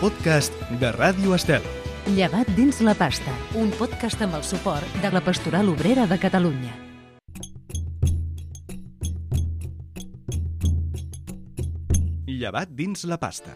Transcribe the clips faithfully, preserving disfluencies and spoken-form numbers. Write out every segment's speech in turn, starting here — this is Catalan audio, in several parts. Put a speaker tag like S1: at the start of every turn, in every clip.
S1: podcast de Ràdio Estel.
S2: Llevat dins la pasta, un podcast amb el suport de la Pastoral Obrera de Catalunya.
S1: Llevat dins la pasta.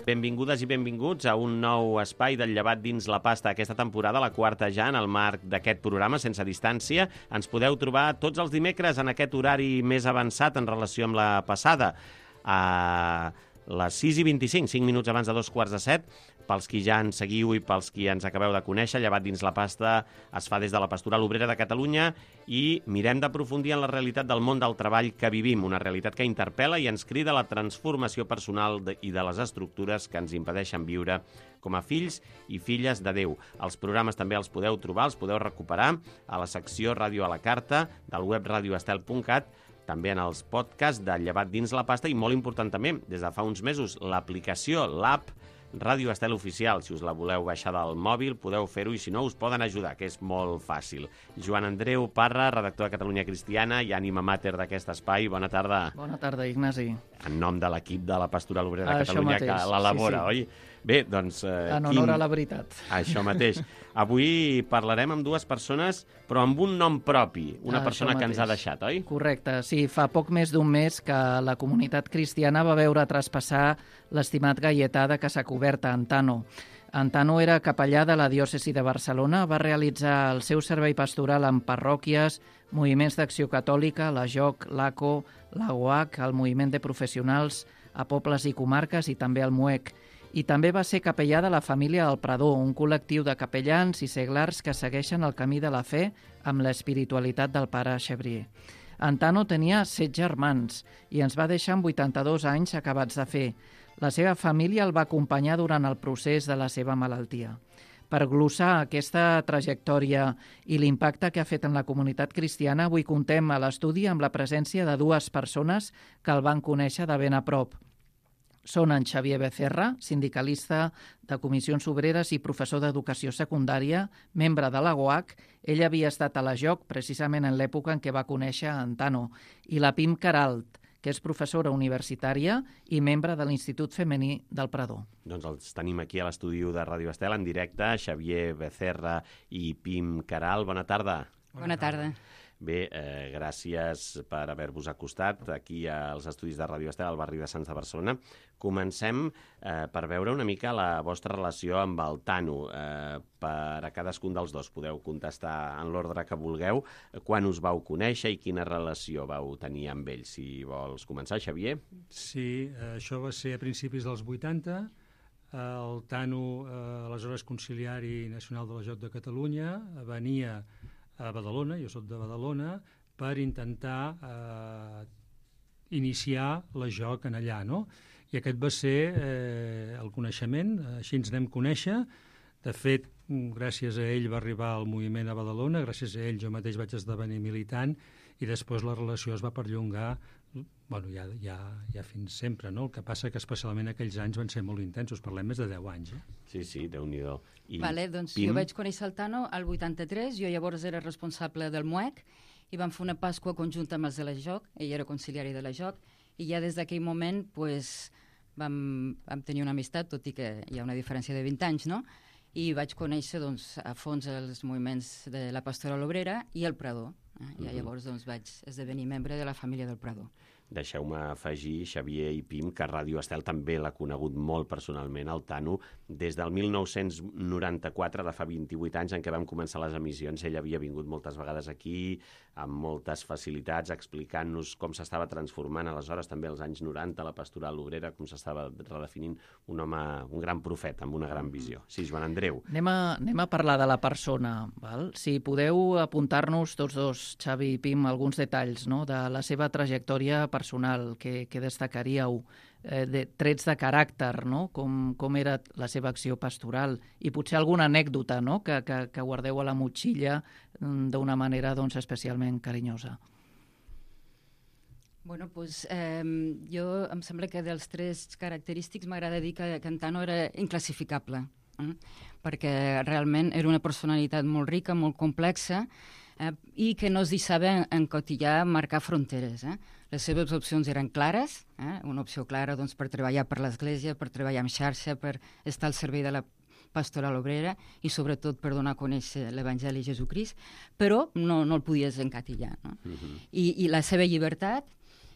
S3: Benvingudes i benvinguts a un nou espai del Llevat dins la pasta. Aquesta temporada, la quarta ja, en el marc d'aquest programa Sense Distància. Ens podeu trobar tots els dimecres en aquest horari més avançat en relació amb la passada, a les sis i vint-i-cinc, cinc minuts abans de dos quarts de set. Pels qui ja ens seguiu i pels qui ens acabeu de conèixer, Llevat dins la pasta es fa des de la Pastoral Obrera de Catalunya i mirem d'aprofundir en la realitat del món del treball que vivim, una realitat que interpel·la i ens crida a la transformació personal de, i de les estructures que ens impedeixen viure com a fills i filles de Déu. Els programes també els podeu trobar, els podeu recuperar a la secció Ràdio a la Carta del web radio estel punt cat, també en els podcasts de Llevat dins la pasta i, molt important també, des de fa uns mesos, l'aplicació, l'app Ràdio Estel Oficial. Si us la voleu baixar del mòbil, podeu fer-ho i si no, us poden ajudar, que és molt fàcil. Joan Andreu Parra, redactor de Catalunya Cristiana i ànima mater d'aquest espai. Bona tarda.
S4: Bona tarda, Ignasi.
S3: En nom de l'equip de la Pastoral Obrera de
S4: Això
S3: Catalunya
S4: mateix,
S3: que l'elabora,
S4: sí, sí.
S3: oi? Bé, doncs... Eh,
S4: en honor
S3: quin...
S4: a la veritat.
S3: Això mateix. Avui parlarem amb dues persones, però amb un nom propi. Una
S4: Això
S3: persona que
S4: mateix.
S3: ens ha deixat, oi?
S4: Correcte, sí. Fa poc més d'un mes que la comunitat cristiana va veure traspassar l'estimat gaietà de Casacoberta, Antano. Antano era capellà de la diòcesi de Barcelona, va realitzar el seu servei pastoral en parròquies, moviments d'acció catòlica, la J O C, l'A C O, la U A C, el moviment de professionals a pobles i comarques i també el M U E C. I també va ser capellà de la família del Prador, un col·lectiu de capellans i seglars que segueixen el camí de la fe amb l'espiritualitat del pare Xavier. Antano tenia set germans i ens va deixar amb vuitanta-dos anys acabats de fer. La seva família el va acompanyar durant el procés de la seva malaltia. Per glossar aquesta trajectòria i l'impacte que ha fet en la comunitat cristiana, avui contem a l'estudi amb la presència de dues persones que el van conèixer de ben a prop. Són en Xavier Becerra, sindicalista de Comissions Obreres i professor d'Educació Secundària, membre de la U A C. Ell havia estat a la J O C precisament en l'època en què va conèixer Antano. I la Pim Queralt, que és professora universitària i membre de l'Institut Femení del Prador.
S3: Doncs els tenim aquí a l'estudi de Ràdio Estel en directe, Xavier Becerra i Pim Queralt. Bona tarda.
S5: Bona tarda.
S3: Bé, eh, gràcies per haver-vos acostat aquí als estudis de Ràdio Estel al barri de Sants de Barcelona. Comencem eh, per veure una mica la vostra relació amb el Tano. Eh, per a cadascun dels dos podeu contestar en l'ordre que vulgueu. Quan us vau conèixer i quina relació vau tenir amb ell? Si vols començar, Xavier.
S6: Sí, eh, això va ser a principis dels vuitanta. El Tano, eh, aleshores conciliari nacional de la J O C de Catalunya, venia a Badalona, jo soc de Badalona, per intentar eh, iniciar la J O C en allà, no? I aquest va ser eh, el coneixement, així ens anem conèixer. De fet, gràcies a ell va arribar al moviment a Badalona, gràcies a ell jo mateix vaig esdevenir militant i després la relació es va perllongar bueno, ja, ja, ja fins sempre, no? El que passa que especialment aquells anys van ser molt intensos, parlem més de deu anys. Eh?
S3: Sí, sí, Déu-n'hi-do. I
S5: vale, doncs
S3: Pim?
S5: Jo vaig conèixer el Tano al vuitanta-tres, jo llavors era responsable del M U E C i vam fer una Pasqua conjunta amb els de la J O C, ell era conciliari de la J O C, i ja des d'aquell moment pues, vam, vam tenir una amistat, tot i que hi ha una diferència de vint anys, no? I vaig conèixer doncs, a fons els moviments de la Pastoral Obrera i el Prador. Eh? I uh-huh. llavors doncs, vaig esdevenir membre de la família del Prador.
S3: Deixeu-me afegir, Xavier i Pim, que Ràdio Estel també l'ha conegut molt personalment, el Tano, des del mil nou-cents noranta-quatre, de fa vint-i-vuit anys, en què vam començar les emissions. Ell havia vingut moltes vegades aquí, amb moltes facilitats, explicant-nos com s'estava transformant aleshores, també als anys noranta, la Pastoral Obrera, com s'estava redefinint un home, un gran profeta, amb una gran visió. Sí, Joan Andreu.
S4: Anem a, anem a parlar de la persona, val? Si podeu apuntar-nos tots dos, Xavi i Pim, alguns detalls, no?, de la seva trajectòria personal que, que destacaríeu, eh, de trets de caràcter, no?, com, com era la seva acció pastoral i potser alguna anècdota, no?, que, que, que guardeu a la motxilla d'una manera doncs, especialment carinyosa.
S5: Bueno, doncs, eh, jo em sembla que dels tres característics m'agrada dir que, que en Tano era inclassificable, eh? perquè realment era una personalitat molt rica, molt complexa, eh, i que no es deixava encotillar, marcar fronteres. Eh? Les seves opcions eren clares, eh? una opció clara doncs, per treballar per l'Església, per treballar en xarxa, per estar al servei de la pastoral obrera i sobretot per donar a conèixer l'Evangeli de Jesucrist, però no, no el podies encatillar. No? Uh-huh. I, I la seva llibertat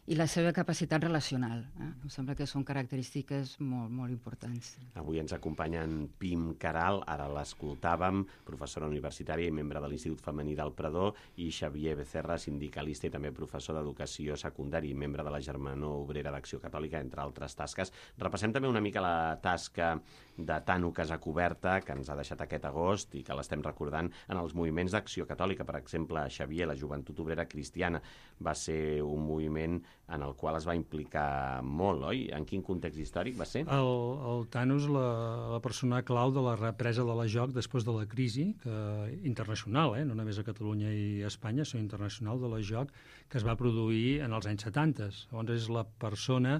S5: i la seva capacitat relacional. Eh? Em sembla que són característiques molt, molt importants.
S3: Avui ens acompanyen Pim Caral, ara l'escoltàvem, professora universitària i membre de l'Institut Femení del Prador, i Xavier Becerra, sindicalista i també professor d'Educació Secundària i membre de la Germanor Obrera d'Acció Catòlica, entre altres tasques. Repassem també una mica la tasca de Tano Casacuberta, que ens ha deixat aquest agost i que l'estem recordant en els moviments d'Acció Catòlica. Per exemple, Xavier, la Joventut Obrera Cristiana, va ser un moviment en el qual es va implicar molt, oi? En quin context històric va ser?
S6: El, el Tano és la, la persona clau de la represa de la joc després de la crisi que, internacional, eh? no només a Catalunya i a Espanya, sinó internacional de la joc que es va produir en els anys setanta. Llavors és la persona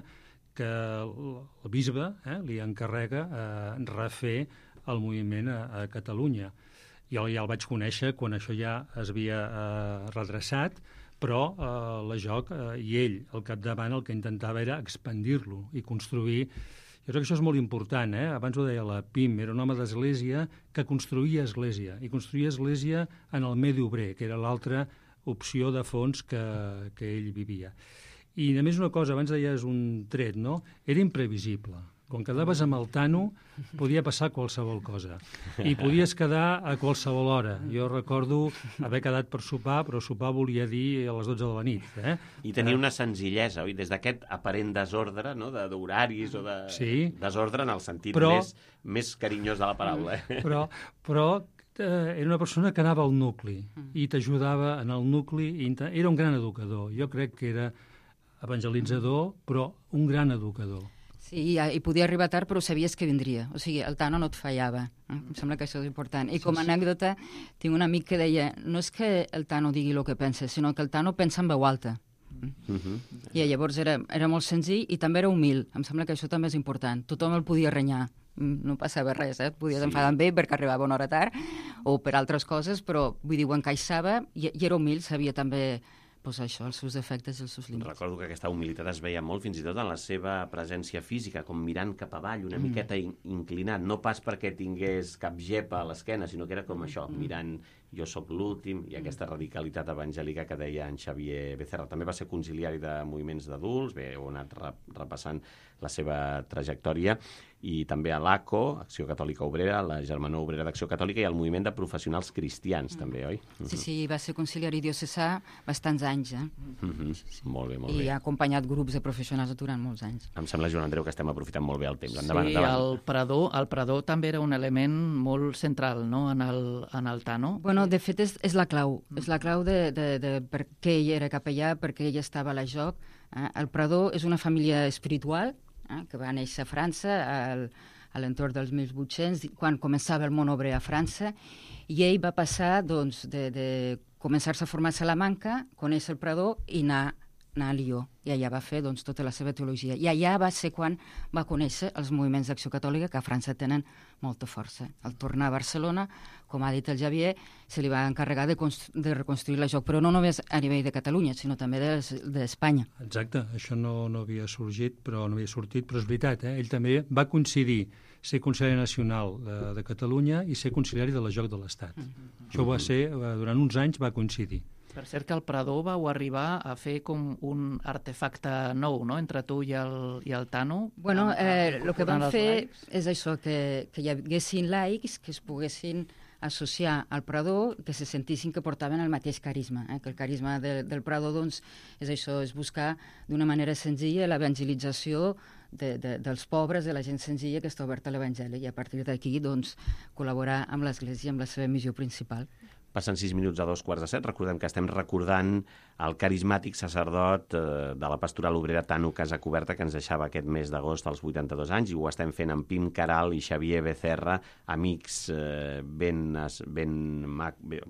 S6: que el bisbe eh, li encarrega eh, refer el moviment a, a Catalunya. Jo ja el vaig conèixer quan això ja es havia eh, redreçat, però eh, la joc eh, i ell, al capdavant, el que intentava era expandir-lo i construir. Jo crec que això és molt important, eh? Abans ho deia la Pim, era un home d'església que construïa església, i construïa església en el medi obrer, que era l'altra opció de fons que, que ell vivia. I només una cosa, abans deies un tret, no? Era imprevisible. Quan quedaves amb el Tano podia passar qualsevol cosa i podies quedar a qualsevol hora. Jo recordo haver quedat per sopar, però sopar volia dir a les dotze de la nit. Eh?
S3: I tenia una senzillesa, oi? Des d'aquest aparent desordre, no? d'horaris o de
S6: sí.
S3: desordre en el sentit
S6: però,
S3: més, més carinyós de la paraula. Eh?
S6: Però, però eh, era una persona que anava al nucli i t'ajudava en el nucli. I era un gran educador. Jo crec que era evangelitzador, però un gran educador.
S5: Sí, i, i podia arribar tard, però sabies que vindria. O sigui, el Tano no et fallava. Eh? Em sembla que això és important. I com a anècdota, tinc un amic que deia no és que el Tano digui el que pensa, sinó que el Tano pensa en veu alta. Uh-huh. I llavors era, era molt senzill i també era humil. Em sembla que això també és important. Tothom el podia renyar. No passava res, eh? Podies sí. enfadar amb ell perquè arribava una hora tard o per altres coses, però vull dir, ho encaixava i, i era humil, sabia també pues això, els seus defectes i els seus límits.
S3: Recordo que aquesta humilitat es veia molt, fins i tot en la seva presència física, com mirant cap avall, una mm. miqueta in inclinat, no pas perquè tingués cap gepa a l'esquena, sinó que era com això, mm. mirant jo sóc l'últim, i aquesta radicalitat evangèlica que deia en Xavier Becerra. També va ser conciliari de moviments d'adults, bé, heu anat repassant la seva trajectòria, i també a l'A C O, Acció Catòlica Obrera, la Germanor Obrera d'Acció Catòlica, i el moviment de professionals cristians, mm. també, oi?
S5: Sí, sí, va ser conciliari diocesà bastants anys, eh?
S3: Mm-hmm. sí, sí. Molt bé, molt
S5: I
S3: bé.
S5: I ha acompanyat grups de professionals durant molts anys.
S3: Em sembla, Joan Andreu, que estem aprofitant molt bé el temps. Endavant,
S4: sí,
S3: endavant.
S4: el Prador, el Prador també era un element molt central, no?, en el, en el Tano.
S5: Bueno, de fet, és, és la clau. Mm. És la clau de, de, de per què ell era capellà, per què ell estava a la joc. Eh? El Prador és una família espiritual, eh? que va néixer a França, al, a l'entorn dels mil vuit-cents, quan començava el món obrer a França, i ell va passar doncs, de, de començar-se a formar a Salamanca, conèixer el Prador i anar, anar a Lió. I allà va fer doncs, tota la seva teologia. I allà va ser quan va conèixer els moviments d'Acció Catòlica, que a França tenen molta força. Al tornar a Barcelona, com ha dit el Xavier, se li va encarregar de, de reconstruir la joc, però no només a nivell de Catalunya, sinó també d'Espanya. De,
S6: Exacte, això no, no havia sorgit, però no havia sortit, però és veritat, eh? Ell també va coincidir ser conciliari nacional de, de Catalunya i ser conciliari de la joc de l'Estat. Mm-hmm. Això va ser, durant uns anys va coincidir.
S4: Per cert que el Prador vau arribar a fer com un artefacte nou, no?, entre tu i el, i el Tano.
S5: Bueno, eh, el que vam fer és això, que, que hi haguessin laics que es poguessin associar al Prador, que se sentissin que portaven el mateix carisma, eh? que el carisma de, del Prador doncs, és això, és buscar d'una manera senzilla l'evangelització de, de, dels pobres, de la gent senzilla que està oberta a l'Evangeli, i a partir d'aquí doncs, col·laborar amb l'Església, amb la seva missió principal.
S3: Passen sis minuts a dos quarts de set. Recordem que estem recordant el carismàtic sacerdot eh, de la pastoral obrera Tano Casacuberta, que ens deixava aquest mes d'agost als vuitanta-dos anys, i ho estem fent amb Pim Caral i Xavier Becerra, amics eh, ben, ben,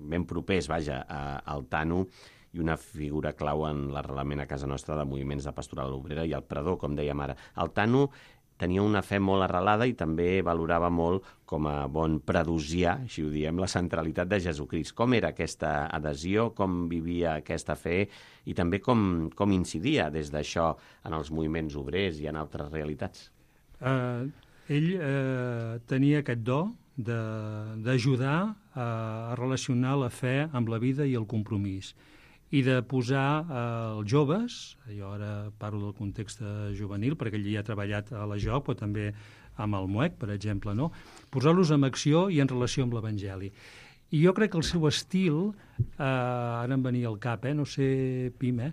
S3: ben propers, vaja, a, al Tano, i una figura clau en l'arrelament a casa nostra de moviments de pastoral obrera i el Prador, com dèiem ara. El Tano tenia una fe molt arrelada i també valorava molt, com a bon predosià, així ho diem, la centralitat de Jesucrist. Com era aquesta adhesió, com vivia aquesta fe i també com, com incidia des d'això en els moviments obrers i en altres realitats?
S6: Uh, ell uh, tenia aquest do d'ajudar a, a relacionar la fe amb la vida i el compromís i de posar eh, els joves, jo ara parlo del context juvenil, perquè ell ja ha treballat a la Joc, però també amb el M U E C, per exemple, no? Posar-los en acció i en relació amb l'Evangeli. I jo crec que el seu estil, eh, ara em venia al cap, eh, no sé, Pim, eh,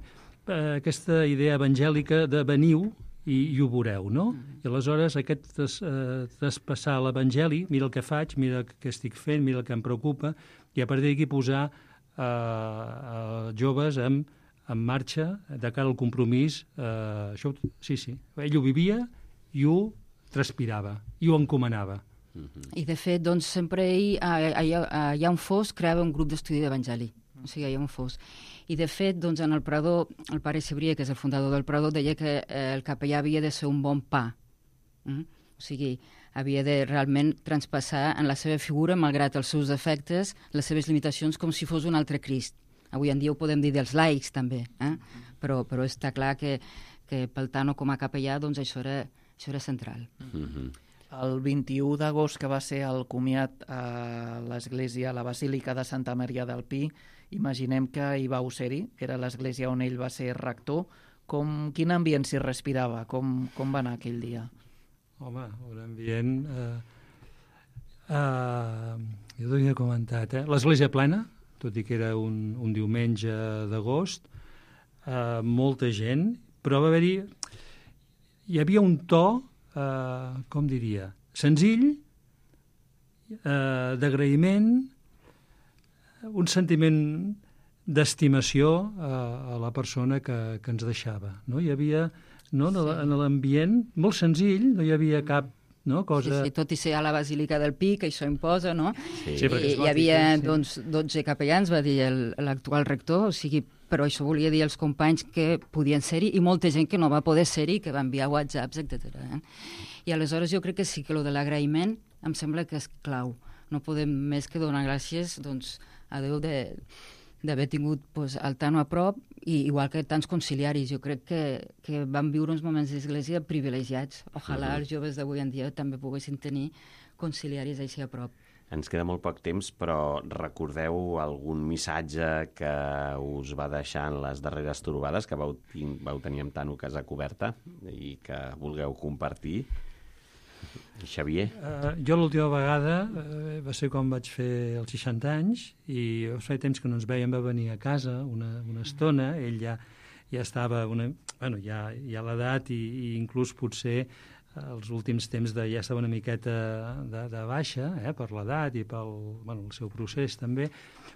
S6: aquesta idea evangèlica de veniu i, i ho veureu, no? I aleshores aquest des, eh, traspassar l'Evangeli, mira el que faig, mira què estic fent, mira el que em preocupa, i a partir d'aquí posar Uh, uh, joves en, en marxa de cara al compromís. Uh, això, sí, sí. Ell ho vivia i ho transpirava, i ho encomanava.
S5: Mm-hmm. I, de fet, doncs, sempre ell, allà, allà on fos, creava un grup d'estudi d'Evangeli. O sigui, allà on fos. I, de fet, doncs, en el Prador, el pare Cebrià, que és el fundador del Prador, deia que eh, el capellà havia de ser un bon pa. Mm? O sigui, havia de realment transpassar en la seva figura, malgrat els seus defectes, les seves limitacions, com si fos un altre Crist. Avui en dia ho podem dir dels laics, també, eh? però, però està clar que, que pel Tano com a capellà doncs això era, això era central.
S3: Mm-hmm.
S4: El vint-i-u d'agost, que va ser el comiat a l'església, a la Basílica de Santa Maria del Pi, imaginem que hi vau ser-hi, que era l'església on ell va ser rector. Com, quin ambient s'hi respirava? Com, com va anar aquell dia?
S6: Home, un ambient... Eh, eh, jo t'ho havia comentat, eh? L'església plena, tot i que era un, un diumenge d'agost, eh, molta gent, però va haver-hi... Hi havia un to, eh, com diria, senzill, eh, d'agraïment, un sentiment d'estimació a, a la persona que, que ens deixava. No? Hi havia... No? Sí. En l'ambient, molt senzill, no hi havia cap no, cosa...
S5: Sí, sí, tot i ser a la Basílica del Pi, que això imposa, no?
S6: Sí, sí,
S5: I, hi havia sí. doncs, dotze capellans, va dir l'actual rector, o sigui, però això volia dir als companys que podien ser-hi i molta gent que no va poder ser-hi, que va enviar whatsapps, etcètera. Eh? I aleshores jo crec que sí que el de l'agraïment em sembla que és clau. No podem més que donar gràcies doncs, a Déu de... d'haver tingut pues, el Tano a prop, i igual que tants conciliaris. Jo crec que, que van viure uns moments d'església privilegiats. Ojalà uh-huh. els joves d'avui en dia també poguessin tenir conciliaris així a prop.
S3: Ens queda molt poc temps, però recordeu algun missatge que us va deixar en les darreres trobades que vau, vau tenir amb Tano Casa Coberta i que vulgueu compartir? Xavier?
S6: Uh, jo l'última vegada uh, va ser quan vaig fer els seixanta anys i feia temps que no ens veiem, va venir a casa una, una estona, ell ja, ja estava una, bueno, ja, ja a l'edat i, i inclús potser els últims temps de, ja estava una miqueta de, de baixa eh, per l'edat i pel bueno, el seu procés també,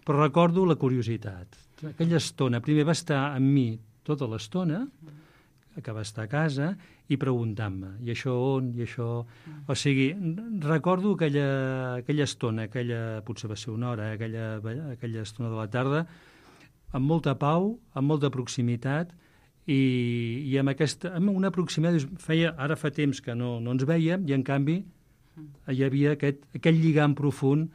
S6: però recordo la curiositat. Aquella estona, primer va estar amb mi tota l'estona, que va estar a casa, i preguntant-me, i això on, i això... O sigui, recordo aquella, aquella estona, aquella, potser va ser una hora, eh, aquella, aquella estona de la tarda, amb molta pau, amb molta proximitat, i, i amb, aquesta, amb una proximitat... Feia, ara fa temps que no, no ens vèiem, i en canvi hi havia aquest, aquest lligam profund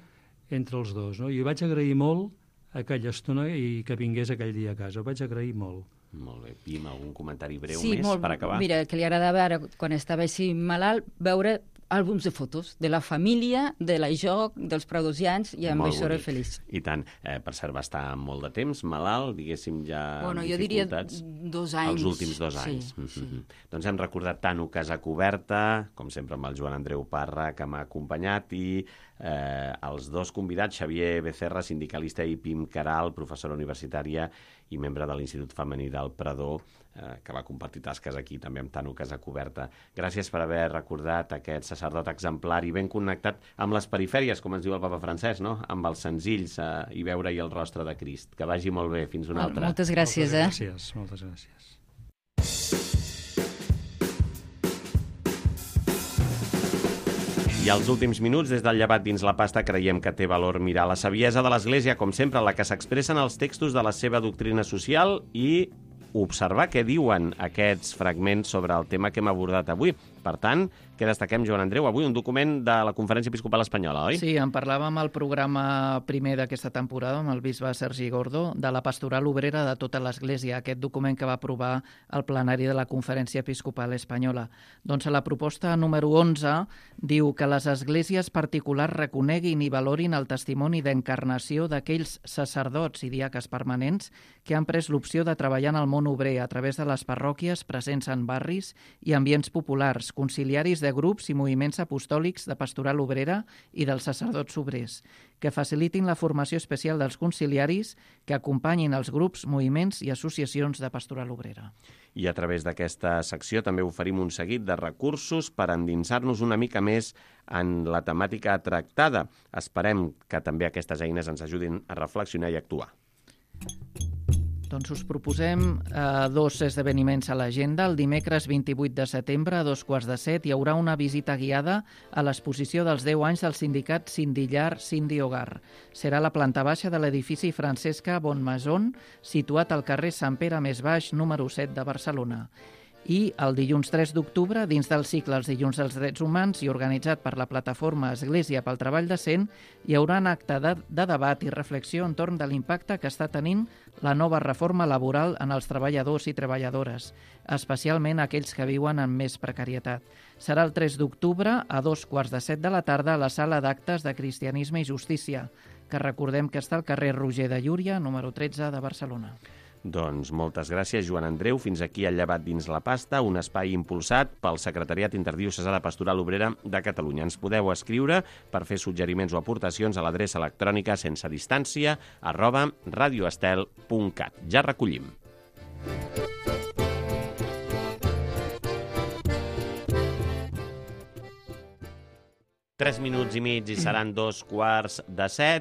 S6: entre els dos. No? I vaig agrair molt aquella estona i que vingués aquell dia a casa. Ho vaig agrair molt.
S3: Molt bé. Pim, algun comentari breu
S5: sí,
S3: més
S5: molt,
S3: per acabar?
S5: Mira, que li agradava ara, quan estava així malalt, veure àlbums de fotos de la família, de la Joc, dels pradosians, i amb
S3: molt
S5: això era
S3: bonic.
S5: feliç.
S3: I tant. Eh, per cert, va estar molt de temps malalt, diguéssim, ja
S5: bueno,
S3: amb
S5: jo diria
S3: dificultats.
S5: dos anys.
S3: Els últims dos
S5: sí,
S3: anys.
S5: Sí.
S3: Doncs hem recordat Tano Casa Coberta, com sempre amb el Joan Andreu Parra, que m'ha acompanyat, i eh, els dos convidats, Xavier Becerra, sindicalista, i Pim Caral, professora universitària i membre de l'Institut Femení del Prador, eh, que va compartir tasques aquí també amb Tano Casa Coberta. Gràcies per haver recordat aquest sacerdot exemplar i ben connectat amb les perifèries, com ens diu el papa Francesc, no? Amb els senzills eh, i veure-hi el rostre de Crist. Que vagi molt bé. Fins una altra.
S5: Moltes gràcies,
S6: moltes
S5: eh?
S6: Gràcies, moltes gràcies.
S3: I als últims minuts, des del llevat dins la pasta, creiem que té valor mirar la saviesa de l'Església, com sempre, la que s'expressa en els textos de la seva doctrina social i observar què diuen aquests fragments sobre el tema que hem abordat avui. Per tant, què destaquem, Joan Andreu? Avui un document de la Conferència Episcopal Espanyola, oi?
S4: Sí, en parlàvem al programa primer d'aquesta temporada amb el bisbe Sergi Gordo de la pastoral obrera de tota l'Església, aquest document que va aprovar el plenari de la Conferència Episcopal Espanyola. Doncs a la proposta número onze diu que les esglésies particulars reconeguin i valorin el testimoni d'encarnació d'aquells sacerdots i diaques permanents que han pres l'opció de treballar en el món obrer a través de les parròquies presents en barris i ambients populars, conciliaris de grups i moviments apostòlics de pastoral obrera i dels sacerdots obrers, que facilitin la formació especial dels conciliaris, que acompanyin els grups, moviments i associacions de pastoral obrera.
S3: I a través d'aquesta secció també oferim un seguit de recursos per endinsar-nos una mica més en la temàtica tractada. Esperem que també aquestes eines ens ajudin a reflexionar i actuar.
S4: Doncs us proposem eh, dos esdeveniments a l'agenda. El dimecres vint-i-vuit de setembre, a dos quarts de set, hi haurà una visita guiada a l'exposició dels deu anys del sindicat Sindillar Sindi Hogar. Serà a la planta baixa de l'edifici Francesca Bonmaison, situat al carrer Sant Pere Més Baix, número set de Barcelona. I el dilluns tres d'octubre, dins del cicle Els dilluns dels drets humans i organitzat per la plataforma Església pel Treball Decent, hi haurà un acte de, de debat i reflexió entorn de l'impacte que està tenint la nova reforma laboral en els treballadors i treballadores, especialment aquells que viuen en més precarietat. Serà el tres d'octubre, a dos quarts de set de la tarda, a la sala d'actes de Cristianisme i Justícia, que recordem que està al carrer Roger de Llúria, número tretze de Barcelona.
S3: Doncs moltes gràcies, Joan Andreu. Fins aquí el llevat dins la pasta, un espai impulsat pel Secretariat Interdiocesà de Pastoral Obrera de Catalunya. Ens podeu escriure per fer suggeriments o aportacions a l'adreça electrònica sense distància arroba radioestel punt cat. Ja recollim. Tres minuts i mig i seran dos quarts de set.